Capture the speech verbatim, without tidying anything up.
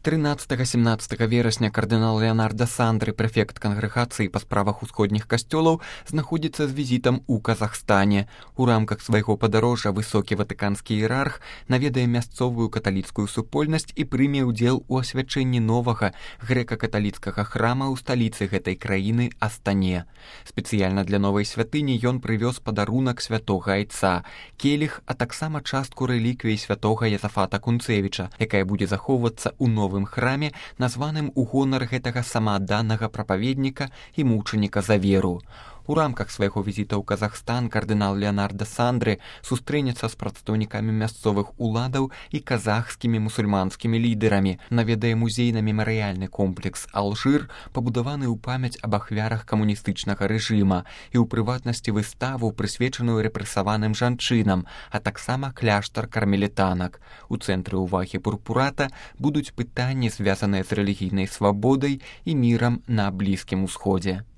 трынаццатага-семнаццатага верасня кардынал Леонардо Сандры, прэфект кангрэгацыі па справах усходніх касцёлаў, знаходзіцца з візітам у Казахстане. У рамках свайго падарожжа высокі ватыканскі іерарх наведае мясцовую каталіцкую супольнасць і прыме ўдзел у асвячэнні новага грэка-каталіцкага храма ў сталіцы гэтай краіны Астане. Спецыяльна для новай святыні ён прывёз падарунак святога айца, келіх, а таксама частку рэліквіі святога Язафата Кунцевіча, якая будзе захоўвацца ў новым храме, названым у гонар гэтага самаадданага прапаведніка і мучаніка за веру. У рамках свайго візіта ў Казахстан кардынал Леонардо Сандры сустрэнецца з прадстаўнікамі мясцовых уладаў і казахскімі мусульманскімі лідэрамі, наведае музейна-мемарыяльны комплекс «Алжир», пабудаваны ў памяць аб ахвярах камуністычнага рэжыма, і ў прыватнасці выставу, прысвечаную рэпрэсаваным жанчынам, а таксама кляштар кармелітанак. У цэнтры ўвагі пурпурата будуць пытанні, звязаныя з рэлігійнай свабодай і мірам на Блізкім Усходзе.